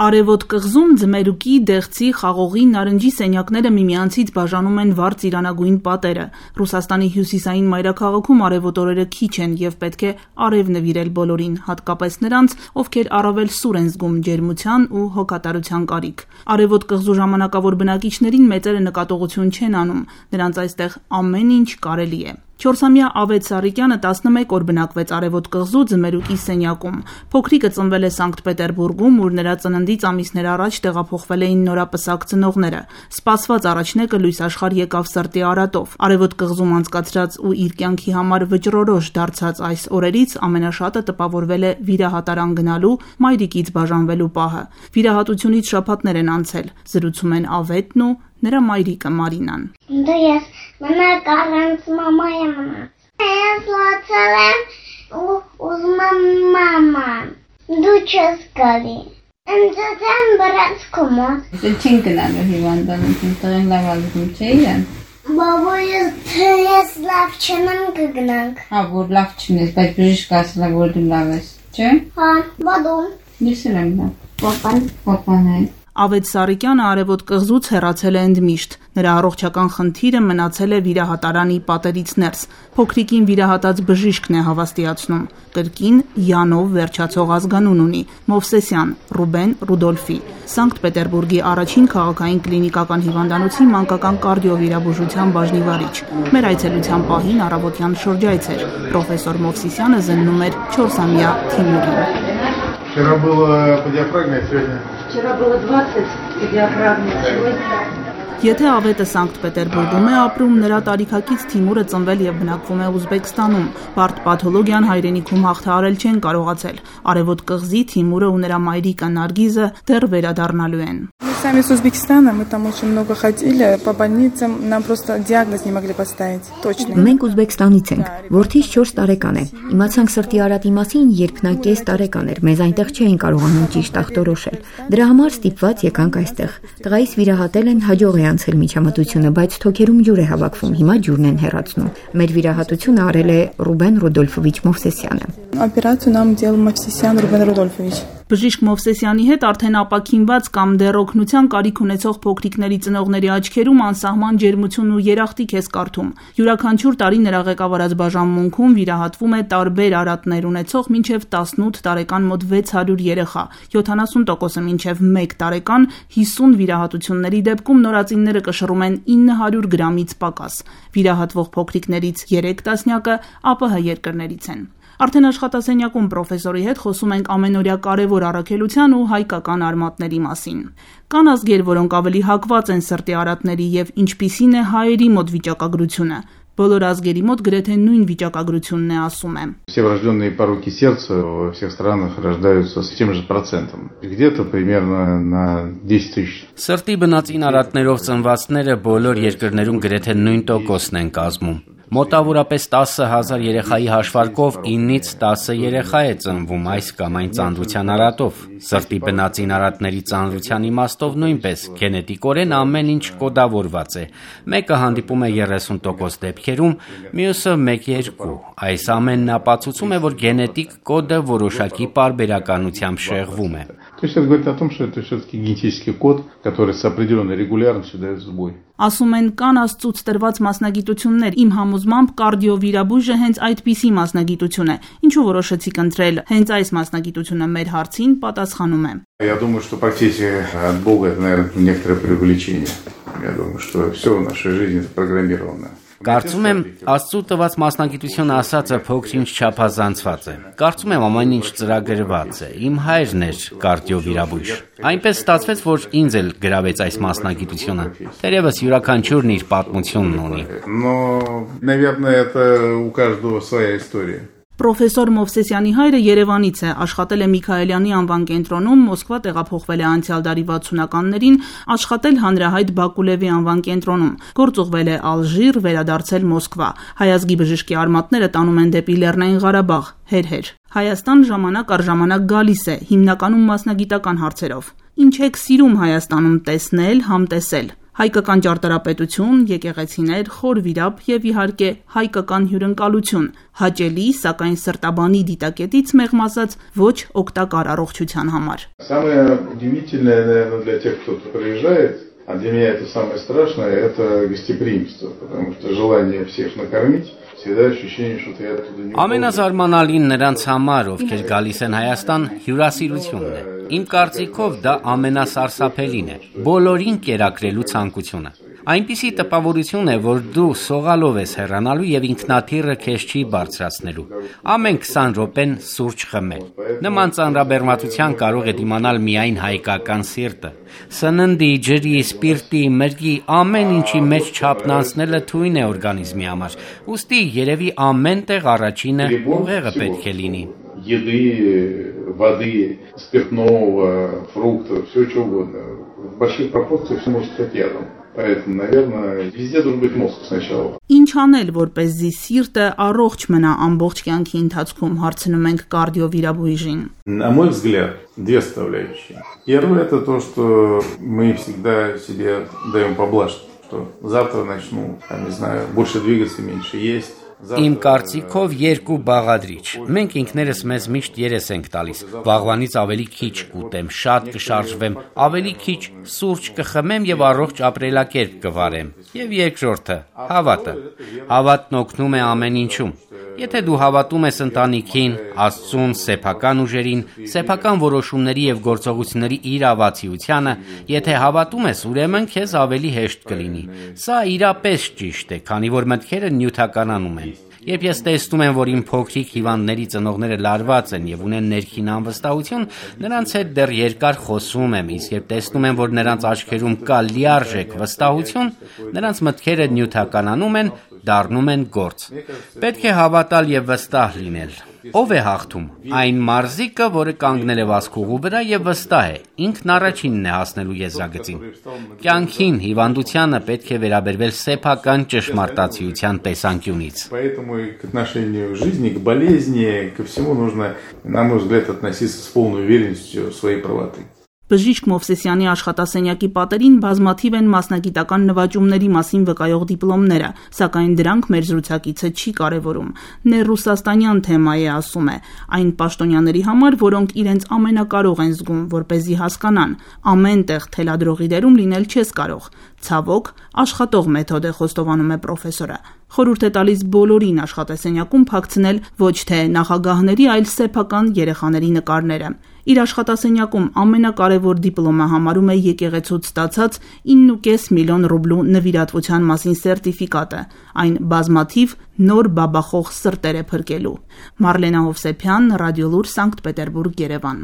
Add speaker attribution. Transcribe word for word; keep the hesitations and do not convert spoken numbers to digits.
Speaker 1: Արևոտ կղզում ձմերուկի, դեղցի, խաղողի, նարնջի սենյակները միմյանցից բաժանում են վառ ծիրանագույն պատերը։ Ռուսաստանի հյուսիսային մայրաքաղաքում արևոտ օրերը քիչ են և պետք է արև նվիրել բոլորին, հատկապես նրանց, ովքեր առավել սուր են զգում ջերմության ու հոգատարության կարիք։ Արևոտ կղզու ժամանակավոր բնակիչներին մեծերը նկատողություն չեն անում, նրանց այստեղ ամեն ինչ կարելի է։ Չորսամյա Ավետ Սարիկյանը տասնմեկ օր բնակվեց Արևոտ կղզու ձմերուկի սենյակում։ Փոքրիկը ծնվել է Սանկտ Պետերբուրգում, ուր նրա ծննդից ամիսներ առաջ տեղափոխվել էին նորապսակ ծնողները։ Սպասված առաջնեկը լույս աշխարհ եկավ սրտի արատով։ Արևոտ կղզում անցկացրած ու իր կյանքի համար վճռորոշ դարձած այս օրերից ամենաշատը տպավորվել է վիրահատարան գնալու, մայրիկից բաժանվելու պահը։ Վիրահատությունից շաբաթներ են անցել, զրուցում են Ավետն ու նրա մայրիկը Մարինան։
Speaker 2: Դու ես մնաք առանց մամայի մնաց։ Ես լացել եմ ու ուզում եմ մաման։ Դու չես գալի։ Ինձ եմ բրած կոմոդ։
Speaker 3: Դե չեն գնալու հիվանդանոցին, տղեն լավ ալվում չէի են։
Speaker 2: Բաբա ես թե ես լավ չնեմ կգնանք։
Speaker 3: Հա, որ լավ չնես, բայց բժիշկը ասել է, որ դու լավ ես, չէ՞։
Speaker 2: Հա, բադու։
Speaker 3: Ես էլ եմ լավ։
Speaker 2: Պապան։
Speaker 3: Պապան է։
Speaker 1: Ավետ Սարիկյանը Արևոտ կղզուց հեռացել է ընդմիշտ։ Նրա առողջական խնդիրը մնացել է վիրահատարանի պատերից ներս։ Փոքրիկին վիրահատած բժիշկն է հավաստիացնում։ Կրկին Յանով վերջացող ազգանուն ունի՝ Մովսեսյան Ռուբեն Ռուդոլֆի։ Սանկտ Պետերբուրգի առաջին քաղաքային կլինիկական հիվանդանոցի մանկական կարդիովիրաբուժության բաժնի վարիչ։ Մեր այցելության պահին առավոտյան շրջայց էր։ Պրոֆեսոր Մովսիսյանը զննում էր չորսամյա Թիմուրին։
Speaker 4: Вчера было по диафрагме, а сегодня...
Speaker 5: Вчера было двадцать по диафрагме, а сегодня...
Speaker 1: Եթե Ավետը Սանկտ Պետերբուրգում է ապրում, նրա տարիքակից Թիմուրը ծնվել և բնակվում է Ուզբեկստանում։ Բարդ պաթոլոգիան հայրենիքում հաղթահարել չեն կարողացել։ Արևոտ կղզի Թիմուրը ու նրա մայրիկը Նարգիզը դեռ վերադառնալու են։
Speaker 6: Сами с Узбекистана, мы там очень много ходили по больницам, нам просто диагноз не могли поставить точно.
Speaker 7: Մենք Ուզբեկստանից ենք, որդիս չորս տարեկան է։ Իմացանք սրտի արատի մասին, երբ նա կես տարեկան էր, մեզ այնտեղ չէին կարողանում ճիշտ ախտորոշել։ Դրա համար ստիպված եկանք այստեղ։ Տղայիս вирահատել են, հաջող է անցել միջամտությունը, բայց թոքերում ջուր է հավաքվում, հիմա ջուրն են հեռացնում։ Մեր վիրահատությունը արել է Ռուբեն Ռուդոլֆովիչ Մովսեսյանը։
Speaker 6: Операцию нам делал Мовсесян Рубен Рудольфович.
Speaker 1: Բժիշկ Մովսեսյանի հետ արդեն ապաքինված կամ դեռ օգնության կարիք ունեցող փոքրիկների ծնողների աչքերում անսահման ջերմություն ու երախտիկ է զգարթում։ Յուրաքանչյուր տարի նրա ղեկավարած բաժանմունքում վիրահատվում է տարբեր արատներ ունեցող մինչև տասնութ տարեկան մոտ վեց հարյուր երեխա, յոթանասուն տոկոսը մինչև մեկ տարեկան, հիսուն վիրահատությունների դեպքում նորածինները կշռում են ինը հարյուր գրամից պակաս։ Վիրահատվող փոքրիկներից երեք տասնյակը ԱՊՀ երկրներից են։ Արդեն աշխատասենյակում պրոֆեսորի հետ խոսում ենք ամենօրյա կարևոր առաքելության ու հայկական արմատների մասին։ Կան ազգեր, որոնք ավելի հակված են սրտի արատների եւ ինչպիսին է հայերի մոտ վիճակագրությունը։ Բոլոր ազգերի մոտ գրեթե նույն վիճակագրությունն է, ասում է։
Speaker 4: Все врожденные пороки сердца во всех странах рождаются с тем же процентом. Где-то примерно на десять тысяч.
Speaker 8: Սրտի բնածին արատներով ծնվածները բոլոր երկրներում գրեթե նույն տոկոսն են կազմում։ Մոտավորապես տասը հազար երեխայի հաշվարկով իննից տասը երեխա է ծնվում այս կամ այն ծանրության արատով։ Սրտի բնածին արատների ծանրության իմաստով նույնպես գենետիկորեն ամեն ինչ կոդավորված է։ Մեկը հանդիպում է երեսուն տոկոս դեպքերում, մյուսը մեկ երկու։ Այս ամենն ապացուցում է, որ գենետիկ կոդը որոշակի պարբերականությամբ շեղվում է։
Speaker 4: То есть это говорит о том, что это все-таки генетический код, который с определенной регулярностью дает сбой.
Speaker 1: Ասում են կան աստծուց տրված մասնագիտություններ, իմ համոզմամբ կարդիովիրաբույժը հենց այդպիսի մասնագիտություն է, ինչու որոշեցիք ընտրել հենց այս մասնագիտությունը մեր հարցին պատասխանում է։
Speaker 4: Я думаю, что профессия от Бога это, наверное, некоторое преувеличение. Я думаю, что все в нашей жизни программировано.
Speaker 8: Կարծում եմ, Աստծու տված մասնագիտությունը ասածը փոքր-ինչ չափազանցված է։ Կարծում եմ ամեն ինչ ծրագրված է։ Իմ հայրն էր կարդիովիրաբույժ։ Այնպես ստացվեց, որ ինձ էլ գրավեց այս մասնագիտությունը։ Թերևս յուրաքանչյուրն իր պատմությունն ունի։
Speaker 4: Но, наверное, это у каждого своя история.
Speaker 1: Պրոֆեսոր Մովսեսյանի հայրը Երևանից է, աշխատել է Միքայելյանի անվան կենտրոնում, Մոսկվա տեղափոխվել է անցյալ դարի վաթսունականներին, աշխատել հանրահայտ Բակուլևի անվան կենտրոնում, գործուղվել է Ալժիր, վերադարձել Մոսկվա։ Հայազգի բժշկի արմատները տանում են դեպի Լեռնային Ղարաբաղ, հեր-հեր։ Հայաստան ժամանակ առ ժամանակ գալիս է, հիմնականում մասնագիտական հարցերով։ Ինչ եք սիրում Հայաստանում տեսնել, համտեսել։ Հայկական ճարտարապետություն, եկեղեցիներ, խոր վիրապ եւ իհարկե հայկական հյուրընկալություն, հաճելի, սակայն սրտաբանի դիտակետից մեղմ ասած ոչ օգտակար առողջության համար։
Speaker 4: Самое удивительное, наверное, для тех, кто приезжает, а для меня это самое страшное, это гостеприимство, потому что желание всех накормить.
Speaker 8: Ամենազարմանալին նրանց համար, ովքեր գալիս են Հայաստան, հյուրասիրությունն է։ Իմ կարծիքով դա ամենասարսափելին է, բոլորին կերակրելու ցանկությունը։ Այնպիսի տպավորություն է, որ դու սողալով ես հեռանալու եւ ինքնաթիռը քեզ չի բարձրացնելու։ Ամեն քսան րոպեն սուրճ խմել։ Նման ծանրաբեռնվածության կարող է դիմանալ միայն հայկական սիրտը։ Սննդի, ջրի, սպիրտի, մրգի ամեն ինչի մեջ չափն անցնելը թույն է օրգանիզմի համար։ Ուստի երևի ամեն տեղ առաջինը ուղեղը պետք է լինի։
Speaker 4: Еды, воды, спиртного, фруктов, все что угодно. В больших пропорциях все может стать ядом. Поэтому, наверное, везде должен быть мозг сначала.
Speaker 1: Ինչ անել, որպեսզի սիրտը առողջ մնա ամբողջ կյանքի ընթացքում, հարցնում ենք կարդիովիրաբույժին։
Speaker 4: На мой взгляд, две составляющие. Первое это то, что мы всегда себе даем поблажку, что завтра начну, там, не знаю, больше двигаться, меньше есть.
Speaker 8: Իմ կարծիքով երկու բաղադրիչ։ Մենք ինքներս մեզ միշտ երես ենք տալիս։ Վաղվանից ավելի քիչ կուտեմ, շատ կշարժվեմ, ավելի քիչ սուրճ կխմեմ եւ առողջ ապրելակերպ կվարեմ։ Եվ երկրորդը՝ հավատը։ Հավատն օգնում է ամեն ինչում։ Եթե դու հավատում ես ընտանիքին, Աստծուն, սեփական ուժերին, սեփական որոշումների եւ գործողությունների իրավացիությանը, եթե հավատում ես, ուրեմն քեզ ավելի հեշտ կլինի։ Սա իրապես ճիշտ է, քանի որ մտքերը նյութականանում են։ Երբ ես տեսնում եմ, որ իմ փոքրիկ հիվանդների ծնողները լարված են եւ ունեն ներքին անվստահություն, նրանց հետ դեռ երկար խոսում եմ, իսկ երբ տեսնում եմ, որ նրանց աչքերում կա լիարժեք վստահություն, նրանց մտքերը նյութականանում են, դառնում են գործ։ Պետք է հավատալ եւ վստահ լինել։ Ով է հաղթում։ Այն մարզիկը, որը կանգնել է վազքուղու վրա եւ վստահ է, ինքն առաջինն է հասնելու եզրագծին։ Կյանքին, հիվանդությանը պետք է վերաբերվել սեփական ճշմարտացիության տեսանկյունից։
Speaker 4: Поэтому и к отношению к жизни, к болезни, ко всему нужно, на мой взгляд, относиться с полной уверенностью в своей правоты.
Speaker 1: Բժիշկ Մովսեսյանի աշխատասենյակի պատերին բազմաթիվ են մասնագիտական նվաճումների մասին վկայող դիպլոմները, սակայն դրանք մեր զրուցակիցը չի կարևորում։ Ներրուսաստանյան թեմա է, ասում է, այն պաշտոնյաների համար, որոնք իրենց ամենակարող են զգում, որպեսզի հասկանան, ամեն տեղ թելադրողի դերում լինել չես կարող։ Ցավոք, աշխատող մեթոդ է, խոստովանում է պրոֆեսորը։ Խորհուրդ է տալիս բոլորին աշխատասենյակում փակցնել ոչ թե նախագահների, այլ սեփական երեխաների նկարները։ Իր աշխատասենյակում ամենակարևոր դիպլոմը համարում է եկեղեցուց ստացած ինը կես միլիոն ռուբլու նվիրատվության մասին սերտիֆիկատը, այն բազմաթիվ նոր բաբախող սրտեր է փրկելու։ Մարլենա Հովսեփյան, Ռադիոլուր, Սանկտ Պետերբուրգ, Երևան։